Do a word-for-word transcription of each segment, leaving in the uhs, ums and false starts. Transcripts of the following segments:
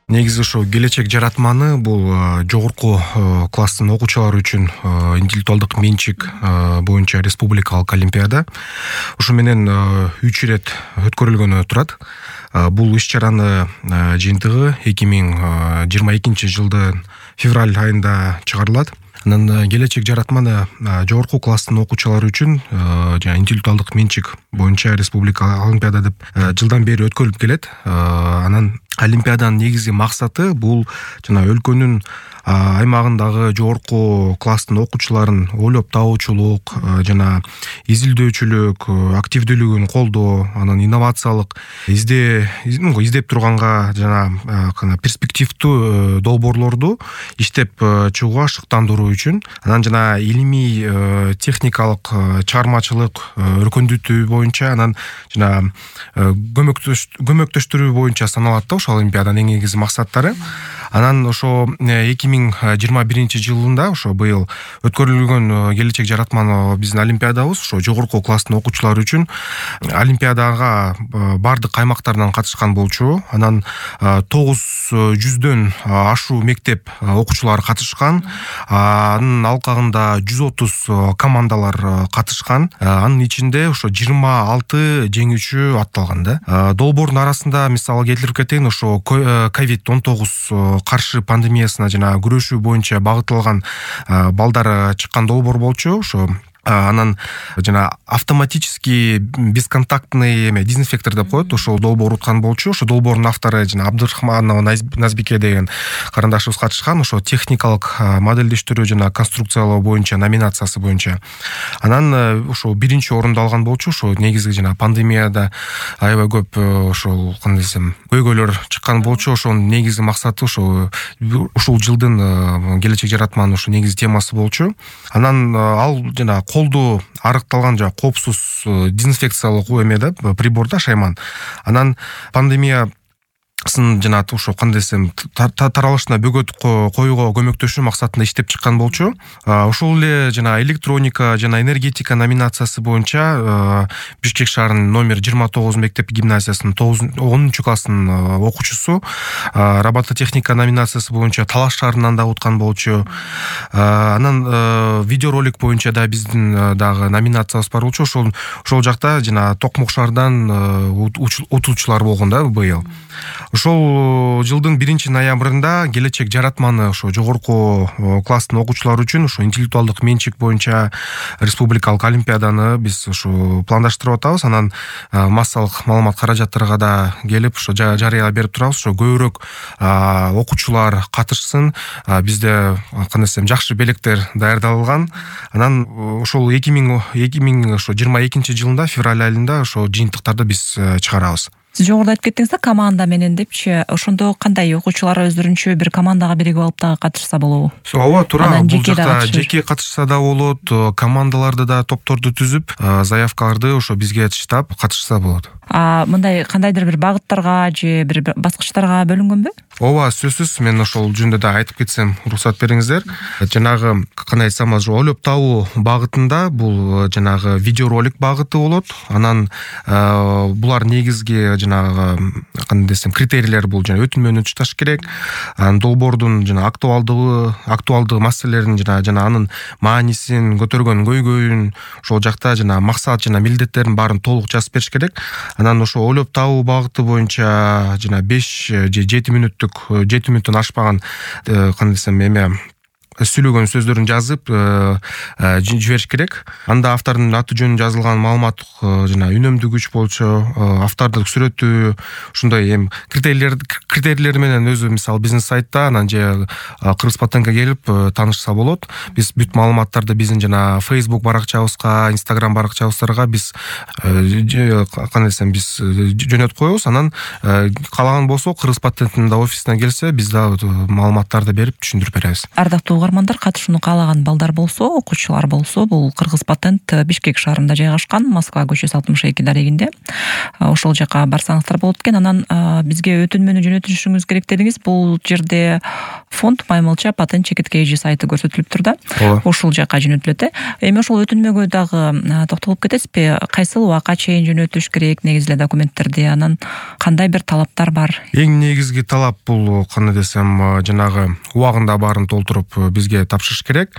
Негизи ошо келечек жаратманы бул жогорку класстын окуучулары үчүн интеллектуалдык менчик боюнча республикалык олимпиада. Ошо менен үч ирет өткөрүлгөнү турат. Бул иш-чаранын жыйынтыгы эки миң жыйырма экинчи жылдын февраль айында чыгарылат. Анан келечек жаратманы жогорку класстын окуучулары үчүн жана интеллектуалдык менчик боюнча республикалык олимпиада деп жылдан бери өткөрүлүп келет. Анан олимпиаданын негизги максаты бул жана өлкөнүн аймагындагы жогорку класстын окуучуларын ойлоп табуучулук жана изилдөөчүлүк, активдүүлүгүн колдоо, анан инновациялык изде издеп турганга жана перспективдүү долбоорлорду иштеп чыгууга шыктандыруу үчүн, анан жана илимий техникалык чыгармачылык өркүндүтүү боюнча, анан жана көмөктөштүрүү боюнча саналат да ошо олимпиаданын эң негизги максаттары. Анан ошо эки миң жыйырма биринчи жылында ошо быйыл өткөрүлгөн келечек жаратманы биздин олимпиадабыз ошо жогорку класстын окуучулары үчүн олимпиадага бардык аймактардан катышкан болчу. Анан тогуз жүздөн ашуу мектеп окуучулары катышкан. Анын алкагында жүз отуз командалар катышкан. Анын ичинде ошо жыйырма алты жеңүүчү атталган да. Долбоордун арасында мисалы келтирип кетейин, ошо ковид он тогуз каршы пандемиясына жана күрөшүү боюнча багытталган балдар чыккан долбоор болчу. Ошо анан жана автоматический бесконтактный эме дезинфектор деп коет, ошол долбоор уткан болчу. Ошо долбоордун автору жана Абдырахманова Назбике деген карындашыбыз катышкан. Ошо техникалык модельдештирүү жана конструкциялоо боюнча номинациясы боюнча. Анан ошо биринчи орунду алган болчу. Ошо негизги жана пандемияда аябай көп ошол кандай десем көйгөйлөр чыккан болчу. Ошонун негизги максаты ошо ушул жылдын келечек жаратманын ошо негизги темасы болчу. Анан ал жана колду арыкталган жана коопсуз дезинфекциялык эме да приборда шайман. Анан пандемия жана ошо кандай десем таралышына бөгөт коюуга көмөктөшүү максатында иштеп чыккан болчу. Ошол эле жана электроника жана энергетика номинациясы боюнча Бишкек шаарынын номер жыйырма тогуз мектеп гимназиясынын онунчу класстын окуучусу робототехника номинациясы боюнча Талаш шаарынан да уткан болчу. Анан видеоролик боюнча да биздин дагы номинациябыз бар болчу. Ошол ошол жакта жана Токмок шаарынан утуучулар болгон да быйыл. Ошол жылдын биринчи ноябрында келечек жаратманы ошо жогорку класстын окуучулары үчүн ошо интеллектуалдык менчик боюнча республикалык олимпиаданы биз ошо пландаштырып атабыз. Анан массалык маалымат каражаттарга да келип ошо жарыя берип турабыз. Ошо көбүрөөк окуучулар катышсын. Бизде кандай десем жакшы белектер даярдалган. Анан ошол эки миң жыйырма экинчи жылында февраль айында ошо жыйынтыктарды биз чыгарабыз. Сиз жогоруда айтып кеттиңиз да команда менен депчи. Ошондо кандай окуучулар өздөрүнчө бир командага биригип алып дагы катышса болобу? Ооба, туура. Бул жакта жеке катышса да болот, командаларды да топторду түзүп, заявкаларды ошо бизге таштап катышса болот. А мындай кандайдыр бир багыттарга же бир баскычтарга бөлүнгөнбү? Ооба, сөзсүз. Мен ошол жөнүндө да айтып кетсем, уруксат бериңиздер. Жанагы кандай айтсам, ойлоп табуу багытында бул жанагы видеоролик багыты болот. Анан булар негизги жанагы кандай десем критерийлер бул жана өтүнмөнү чыдаш керек. Анан долбоордун жана актуалдыгы, актуалдык маселелерин жана жана анын маанисин, көтөргөн көйгөйүн ошол жакта жана максат жана милдеттерин баарын толук жазып бериш керек. Анан ошо ойлоп табуу багыты боюнча жана беш же жети мүнөттүк жети мүнөттөн ашпаган кандай десем эме сүйлөгөн сөздөрүн жазып жибериш керек. Анда автордун аты жөнү жазылган маалымат жана үнөмдүгүч болчу, автордук сүрөтү, ушундай эм критерийлер критерийлер менен өзү мисалы биздин сайтта анан же Кыргыз Патентке келип таанышса болот. Биз бүт маалыматтарды биздин жана Facebook баракчабызга, Instagram баракчабыздарга биз кандай десем биз жөнөтүп коебуз. Анан каалаган болсо Кыргыз Патенттин да офисине келсе биз да маалыматтарды берип түшүндүрүп беребиз. Ардактуу угармандар, катышууну каалаган балдар болсо, окуучулар болсо, бул Кыргыз Патент Бишкек шаарында жайгашкан, Москва көчөсү алтымыш эки дарегинде. ошол жака барсаңыздар болот экен. Анан бизге өтүнмөнү жөнөтүшүңүз керек дедиңиз. Бул жерде фонд Маймылча патент чекит кей жи сайты көрсөтүлүптүр да. Ошол жака жөнөтүлөт э. Эми ошол өтүнмөгө дагы токтолуп кетесизби? Кайсыл убакка чейин жөнөтүш керек негизи эле документтерди? Анан кандай бир талаптар бар? Эң негизги талап бул кандай десем, жанагы убагында баарын толтуруп бизге тапшырыш керек.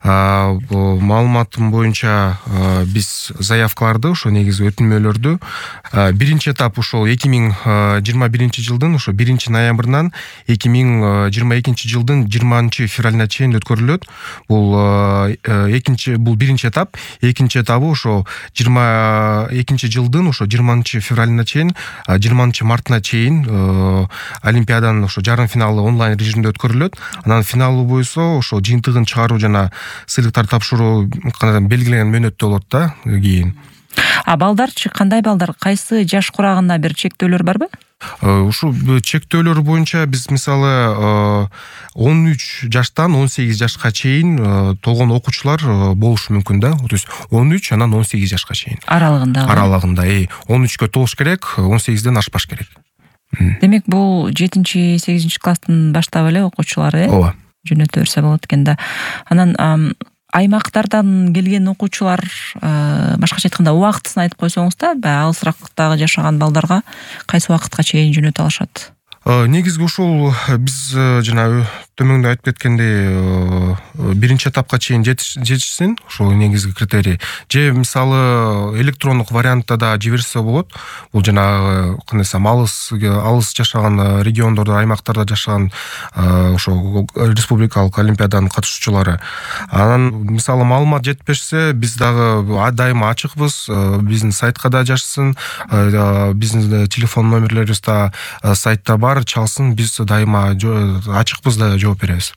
Маалыматым боюнча биз заявкаларды, ошо негизи өтүнмөлөрдү биринчи этап ошол эки миң жыйырма биринчи жылдын ошо биринчи ноябрынан эки миң жыйырма экинчи жылдын жыйырманчы февралына чейин өткөрүлөт. Бул экинчи бул биринчи этап. Экинчи этабы ошо жыйырма экинчи жылдын ошо жыйырманчы февралына чейин, жыйырманчы мартына чейин олимпиаданын ошо жарым финалы онлайн режимде өткөрүлөт. Анан финалы боюнча ошо жыйынтыгын чыгаруу жана сыйлыктар тапшыруу белгиленген мөөнөттө болот да кийин. А балдарчы кандай балдар? Кайсы жаш курагында бир чектөөлөр барбы? Ушул чектөөлөр боюнча биз мисалы он үч жаштан он сегиз жашка чейин толгон окуучулар болушу мүмкүн да. То есть он үч анан он сегиз жашка чейин аралыгында. Аралыгында, э он үчкө толуш керек, он сегизден ашпаш керек. Демек бул жетинчи сегизинчи класстын баштап эле окуучулар э? Ооба. Жөнөтө берсе болот экен да. Анан аймактардан келген окуучулар, башкача айтканда убактысын айтып койсоңуз да, алысырактагы жашаган балдарга кайсы убакытка чейин жөнөтө алышат? Негизги ушул биз жана төмөндө айтып кеткендей биринчи этапка чейин жетишсин, ошол негизги критерий. Же мисалы электрондук вариантта да жиберсе болот. Бул жанагы кандай десем, алыс алыс жашаган региондордо, аймактарда жашаган ошо республикалык олимпиаданын катышуучулары. Анан мисалы маалымат жетпешсе, биз дагы дайыма ачыкпыз. Биздин сайтка да жазсын, биздин телефон номерлерибиз да сайтта бар, чалсын, биз дайыма ачыкпыз да жооп беребиз.